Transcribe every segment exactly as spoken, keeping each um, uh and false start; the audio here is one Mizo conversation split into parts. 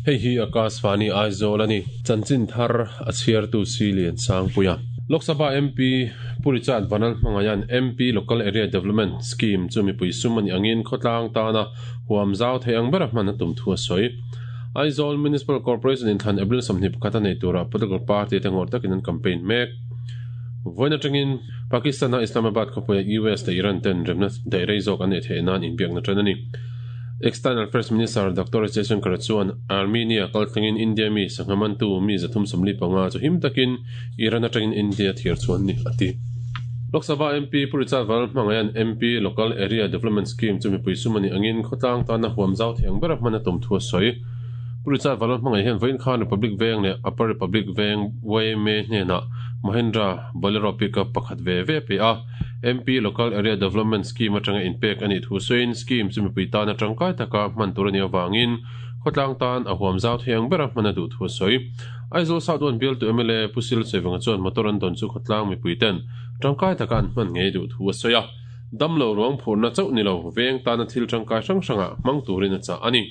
Hei hi Akashvani Aizawl ani chanchin thar a chhiar tu Silian Sangpuia Lok Sabha M P Purichat Vanlalhmangaian M P Local Area Development Scheme chu mipui sum ani angin khawtlang tana huam zau thei ang bera hman a tum thu a sawi Aizawl Municipal Corporation in thlan April sawmhnih pakhat a nei tura political party te ngawr takin an campaign mek Voina tangin Pakistan a Islamabad khawpuia U S te Iran ten remna daih rei zawk an nei theih nan inbiakna tan ani External First Minister Doctor Jaishankar chuan Armenia kaltlangin India mi sanghamantu mi zathum sawmli panga chu him takin Iran atangin India thiar chuan ni ati Lok Sabha M P Purichat Vanlalhmangaian M P Local Area Development Scheme chu mipui sum ani angin khawtlang tana huam zau thei ang bera hman a tum thu a sawi Purichat Vanlalhmangai hian Vawiin Khan Republic Veng leh Upper Republic Veng Y M A hnenah Mahindra Bolero pickup pakhat ve ve pe a M P Local Area Development Scheme atanga inpek ani thu sawiin scheme chu mipui tana tangkai taka hman tur ani awangin khawtlang tan a huam zau thei ang bera hman a duh thu a sawi Aizawl South One bial tu M L A Pusil Chevanga chuan motor an dawn chu khawtlang mipui ten tangkai taka an hman ngei duh thu a sawi a damlo ruang phurna chauh ni lo veng tana thil tangkai hrang hranga hmang turin a chah ani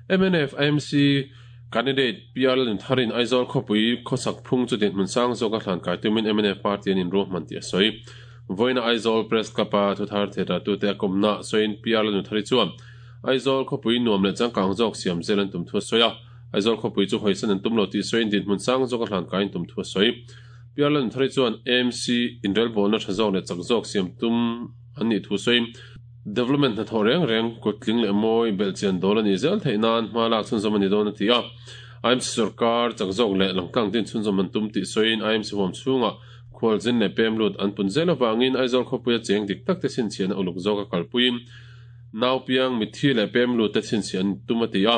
M N F I M C candidate P R L Tharin Aizawl khawpui khawsak phung chu dinhmun sang zawk a hlan kai tumin M N F party an inruah hman tih a sawi Voina Aizawl Press Club a thuthar theihra tu te a kawmna sawiin P R L Thari chuan Aizawl khawpui nuam leh changkang zawk siam zel an tum thu a sawi a Aizawl khawpui chu hawisan an tum lo tih sawiin dinhmun sang zawk a hlan kai an tum thu a sawi P R L Thari chuan A M C inrelbawlna tha zawk leh chak zawk siam tum an nih thu sawiin development hna thaw reng reng kutling leh mawi belhchian dawl ani zel theih nan hma lak chhunzawm ani dawn a ti a I M C sarkar chak zawk leh langtlang din chhunzawm an tum tih sawiin I M C huam chhunga khualzin leh pem lut an pun zel awangin Aizawl khawpuia cheng dik tak te chhinchhian a uluk zawk a kalpuiin nau piang mithi leh pem lut te chhinchhian tum a ti a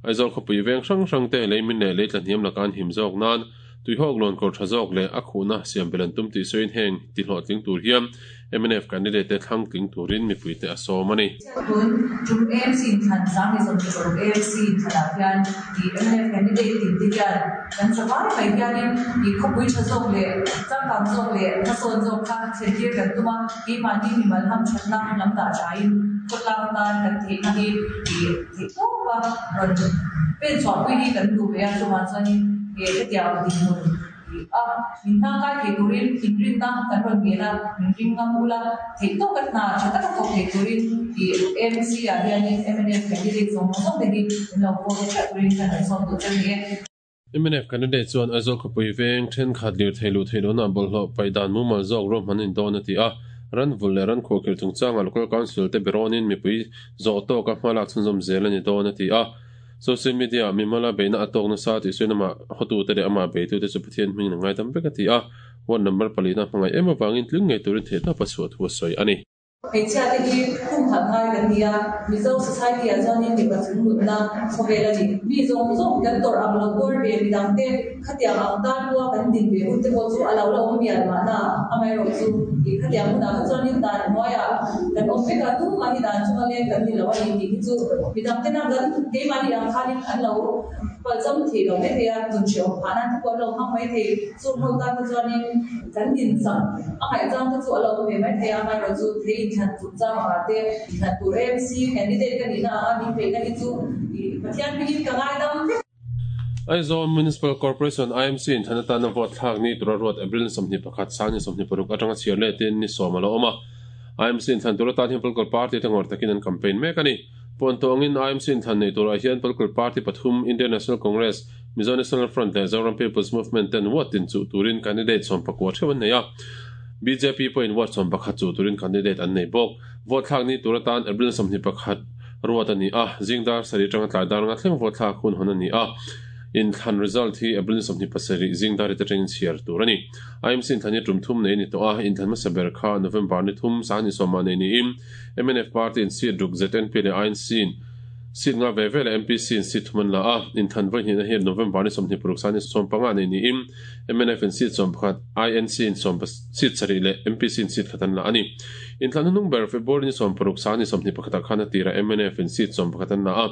Aizawl khawpui veng hrang hrang te leimin leh leitla hniam laka an him zawk nan tuihawk lawn kawr tha zawk leh a khuhna siam bel an tum tih sawiin heng ti hlawhtling tur hian M N F candidate te thlang tling turin mipui te a sawm ani tun tum A M C thlan sang ni sawmhnih paruk A M C thlanah hian i M N F candidate tin te hian kan savai mai hianin i khawpui tha zawk leh changkang zawk leh hmasawn zawk kha thlentir kan tum a keimahni mimal ham thatna lam dah thain khawtlang tan kan theihna hi i theih tawp a rawn pen chhuahpui hi kan duh ve a chuvang chuanin e hetiang dinhmun a min hnangkai thei turin inrinna kan rawn ngel a min ring ngam ula theih tawk a hna tha taka thawk thei turin i M C ah hianin M N F candidate zawng zawng te hi min lo vote theuh turin kan rawn sawm duh che ni e M N F candidate chuan Aizawl khawpui veng thenkhat lir thei luh thei lohna bawlhhlawh paih dan mumal zawk ruahman in dawn a ti a ran vul leh ran khuahkhirh chungchanga local council te berawnin mipui zawh tawk a hma lak chhunzawm zel ani dawn a ti a social media mimala beina atawk na sa tih sawiin ama hotu te leh ama beitu te chu Pathian hming na ngai tam vek a ti a one number palina hmangai em awangin tling ngei turin theih tawp a chhuah thu a sawi ani Hmeichhia te hi khum khat ngai kan ni a Mizo society ah chuanin mipa chung nunna khawvel ani mi zawng zawng kan tawrh ang lo tuar ve midang te khatiang ang tan pawha kan din ve hun te pawh chu a lo la awm mial mahna amaherawh chu i khatiang hunah kha chuanin dan hnuaiah kan awm vek a tumah hi dan chunga leng kan ni lo ani tih hi chu midang tena kan keimahni ang khanin an lo palzam thei lo mai thei a nun hrehawm phah nan te pawh an lo hmang mai thei chung ho tan te chuanin kan din sak a ngaihchang te chu a lo awm ve mai thei a amaherawh chu thei inthlan chungchang ah te inthlan tur A M C candidate ka nihna anga min peihna hi chu i Pathian hmingin ka ngaidam vek Aizawl Municipal Corporation I M C in thlan atana vote thlak ni tura ruat April sawmhnih pakhat sang ni sawmhnih paruk atanga chhiar leh tin ni sawm a lo awm a I M C in thlan tur atan hian political party te ngawr takin an campaign mek ani Puantawngin I M C in thlan nei turah hian political party pathum Indian National Congress Mizo National Front leh Zoram People's Movement ten ward tin chu turin candidate sawm pakua theuh an nei a B J P pawhin ward sawm pakhat chu turin candidate an nei bawk vote thlak ni tur atan April sawmhnih pakhat ruat ani a zingdar sarih atanga tlai dar nga thleng vote thlak hun hawn ani a in thlan result hi April sawmhnih pasarih zingdar te atangin chhiar tur ani I M C in thlan hi tum thum nei ni tawh a in thlan hmasa ber kha November ni thum sang ni sawma nei niin M N F party in seat ruk Z N P leh I N C in seat nga ve ve leh M P C in seat thum an la a in thlan vawi hnihna hi November ni sawmhnih paruk sang ni sawm panga nei niin M N F in seat sawm pakhat I N C in sawm seat sarih leh M P C in seat khat an la ani in thlan hnung ber February ni sawm paruk sang ni sawmhnih pakhatah khan a tira M N F in seat sawm pakhat an la a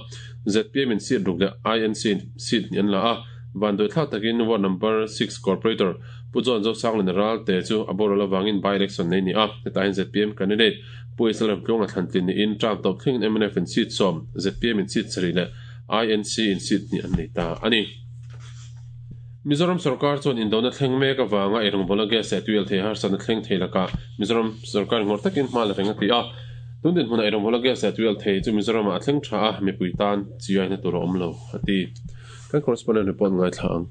Z P M in seat ruk leh I N C in seat hnih an la a van doi thlak takin ward number six corporator Pu John Zosangliana Ralte chu a boral awangin by election nei ni a hetah hian Z P M candidate Pu Islam Tluanga thlantlin niin term tawp thlengin M N F in seat sawm, Z P M in seat sarih leh I N C in seat hnih an nei ta a ni. Mizoram sarkar chuan indona thleng mek awanga eirawngbawl gas leh tuil thei harsatna thleng thei lakah Mizoram sarkar ngawr takin hma la reng a ti a. Tun dinhmunah eirawngbawl gas leh tuil thei chu Mizoramah a thleng tha a, mipui tan chiaina tur a awm lo a ti. Kan correspondent report ngaithla ang.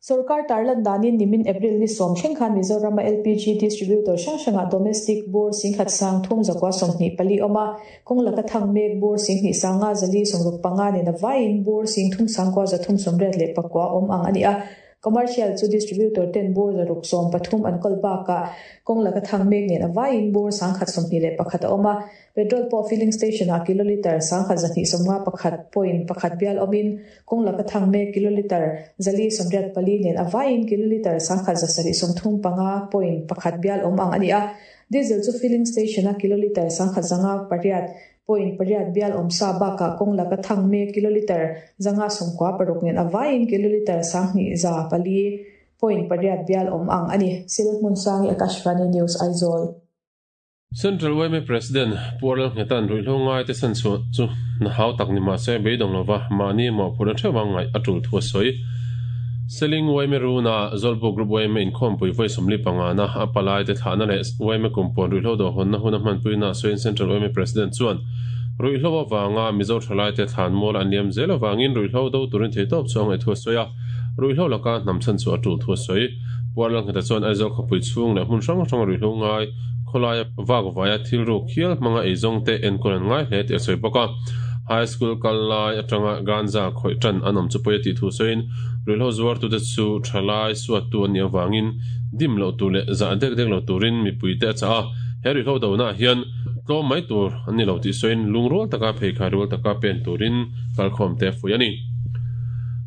Sarkar tarlan danin nimin April ni sawm thleng khan Mizorama L P G distributor hrang hranga domestic bur singkhat sang thum zakua sawmhnih pali awm a, kawng laka thang mek bur singhnih sanga zali sawmruk panga nen a vaiin bur sing thum sangkua zathum sawmriat leh pakua awm ang a ni a. Commercial chu distributor ten bur zaruk sawm pathum an kawl bakah kawng laka thang mek nen a vaiin bur sangkhat sawmhnih leh pakhat a awm a. Petrol pawh filling station ah kiloliter sangkhat zahnih sawmnga pakhat point pakhat bial awmin kawng laka thang mek kiloliter zali sawmriat pali nen a vaiin kiloliter sangkhat zasarih sawmthum panga point pakhat bial awm ang a ni a. Diesel chu filling station a kiloliter sangkhat zanga pariat point pariat bial awm sa bakah kawng laka thang mek kiloliter zanga sawmkua paruk nen a vaiin kiloliter sanghnih za pali point pariat bial awm ang a ni. Silhmunsangi, Akashvani News, Aizawl. Central Y M A President Pu Lalnghetan ruihhlo ngai te san chu chu na hau tak ni mah se beidawng lova mahni mawhphurhna theuh ang ngaih a tul thu a sawi. Seling Y M A Runa Zawlbuk Group Y M A inkhawmpui vawi sawmli panga na a palai te thlahna leh Y M A kumpawn ruihhlo do hawnna hun a hmanpuina sawiin Central Y M A President chuan ruihhlo awanga Mizo thalai te thlan mual an liam zel awangin ruihhlo do turin theitawp chu a ngaih thu a sawi a, ruihhlo laka hnam chhan chu a tul thu a sawi. Pu Lalngheta chuan Aizawl khawpui chhung leh hmun hrang hrang ruihhlo ngai khawlaia vak vaia thil ruk hial hmanga eizawng te enkawl an ngai hle tih a sawi bawk a. High school kal lai atanga ganja khawih tan an awm chu pawi a tih thu sawiin ruihhlo zuar tute chu thalai suat tu an nih awangin dim loh tur leh zah dek dek lo turin mipui te a chah a. He ruihhlo do naah hian tlawm mai tur an ni lo tih sawiin lungrual taka pheikhai rual taka pen turin kalkhawm te a fuih a ni.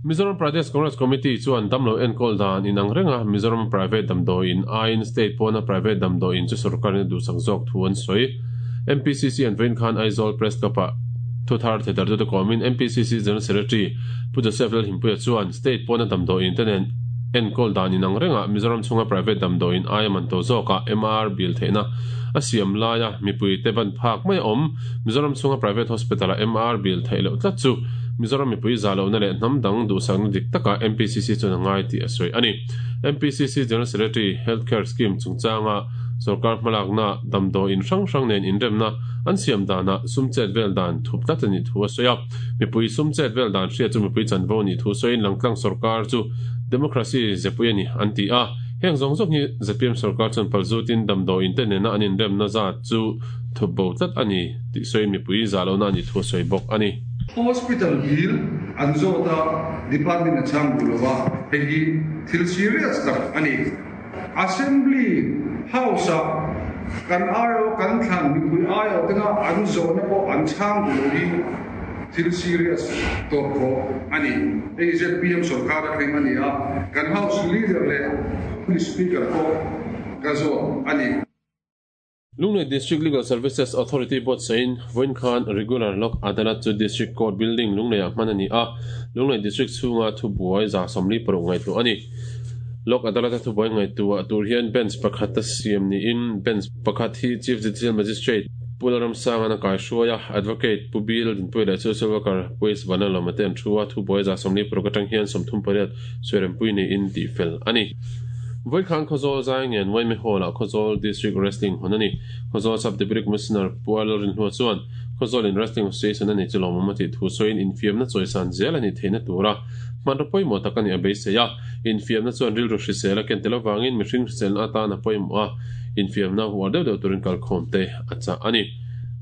Mizoram Pradesh Congress Committee chuan damlo enkawl dan inang renga Mizoram private damdawiin aiin state pawna private damdawiin chu sarkarin a duhsak zawk thu an sawi. M P C C an vawiin khan Aizawl Press Club-ah thuthar theitar tute kawmin M P C C General Secretary Pu Joseph Lalhimpuia chuan state pawna damdawiin te nen enkawl dan inang renga Mizoram chhunga private damdawiin aia man to zawkah M R bill theihna a siam laia mipui te ban phak mai a awm Mizoram chhunga private hospital-a M R bill theih loh tlat chu Mizoram mipui za lohna leh hnam dang duhsakna dik taka M P C C chuan a ngai tih a sawi a ni. M P C C General Secretary Healthcare Scheme chungchanga sarkar hmalakna damdawiin hrang hrang nen inremna an siam danah sum chet vel dan thup tlat a nih thu a sawi a. Mipui sum chet vel dan hriat chu mipui chanvo nih thu sawiin langtlang sarkar chu democracy zepui a ni an ti a. Heng zawng zawng hi Z P M sarkar chuan palzutin damdawiin te nena an inremna zat chu thup bo tlat a ni tih sawiin mipui za lohna a nih thu a sawi bawk a ni. Hospital bill an zawta department a chhang duh lova, hei hi thil serious tak a ni. Assembly house a kan aio kan thlan mipui aio tena an zawhna pawh an chhang duh lo hi thil serious tawp khawh a ni. Hei Z P M sarkar a thleng a ni a, kan house leader leh speaker pawh ka zawt a ni. Lunglei District Legal Services Authority buatsahin vawiin khan Regular Lok Adalat chu District Court Building Lungleiah hman a ni a, Lunglei District chhunga thubuai za sawmli paruk ngaihtuah a ni. Lok Adalat a thubuai ngaihtuah tur hian bench pakhat a siam niin bench pakhat hi Chief Judicial Magistrate Pu Lalramsanga a kaihruai a, Advocate Pu Bill Dinpuia leh Social Worker Pu S Vanlalawma te an thu a, thubuai za sawmli paruk atang hian sawmthum pariat sawi niin tih fel a ni. Vawiin khan Khawzawl Zaingen Y M A Hall-ah Khawzawl District Wrestling hawn a ni. Khawzawl Sub Deputy Commissioner Pu Lalrinhlua chuan Khawzawl in Wrestling Association a ni chu lawmawm a tih thu sawiin infiamna chawisan zel a ni theihna tura hmanraw pawimawh tak a ni a beisei a. Infiamna chuan rilru hrisel a ken tel avangin mihring hriselna atan a pawimawh a, infiamna huar deuh deuh turin kalkhawm te a chah a ni.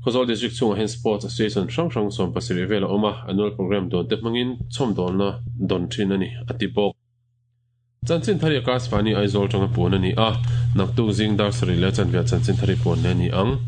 Khawzawl District chhungah hian Sports Association hrang hrang sawm pasarih vel a awm a, annual program dawn te hmangin chhawmdawlna dawn thin a ni a ti bawk. Chanchin thari Akashvani Aizawl tanga puan a ni a, naktuk zing dar sarih leh chanve chanchin thari puan le a ni ang.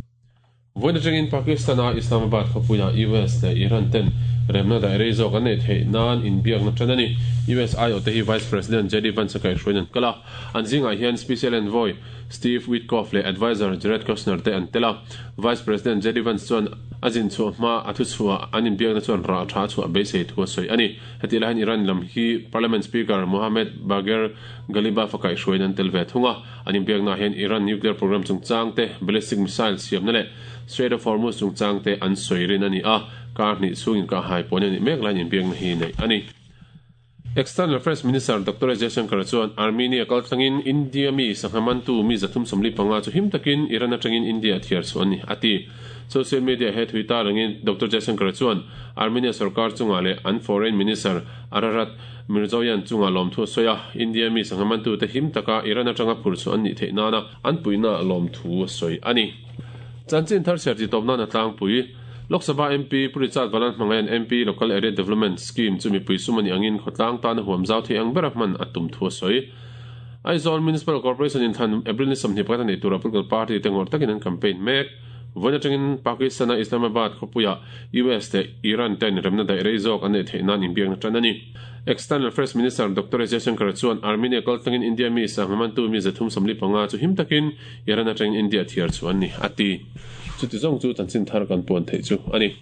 Vawiin atangin Pakistan-a Islamabad khawpuia U S leh Iran ten Remna da rei zawk an nei thei nan inbiak na tan ani. U S I O te hi Vice President J D Vance kai hruaiin an kal a. An zingah hian Special Envoy Steve Witkoff leh Advisor Jared Kushner te an tel a. Vice President J D Vance chuan a zin chhuah hma a thu chhuah an inbiakna chuan rah tha chhuah beisei thu a sawi ani. Heti lai hian Iran lam hi Parliament Speaker Mohammad Bagher Ghalibaf a kai hruaiin an tel ve thung a. An inbiakna hian Iran nuclear program chungchang te, ballistic missile siamna leh Strait of Hormuz chungchang te an sawi rin ani a. Kar hnih chhungin ka hai pawn ani mek lain inbiakna hi nei ani. External Affairs Minister Doctor Jaishankar chuan Armenia kaltlangin India mi sanghamantu mi zathum sawmli panga chu him takin Iran atangin India thiar chu ani ati. Social media he thuita rangin Doctor Jaishankar chuan Armenia sarkar chunga le an Foreign Minister Ararat Mirzoyan chunga lom thu soya. India mi sanghamantu te him taka Iran atanga phur chu an ni theina na an puina lom thu soi ani. Chanchin thar ser ti topna na tlang pui. Lok Sabha M P Pu Richard Vanlalhmangaiha'n M P Local Area Development Scheme chu mipui sumani angin khawtlang tan huam zau thei ang ber hman a tum thu a sawi. Aizawl Municipal Corporation in thlan April ni sawmhnih pakhat nei tura political party te ngawr takin an campaign mek. Vawiin atangin Pakistan a Islamabad khawpuia U S te Iran ten remna daih rei zawk an nei theih nan inbiakna tan ani. External Affairs Minister Doctor Jaishankar chuan Armenia kaltlangin India mi sanghamantu mi zathum sawmli panga chu him takin Iran atangin India thiar chu an ni ati. Chuti zawng chu chanchin thar kan puan theih chu ani.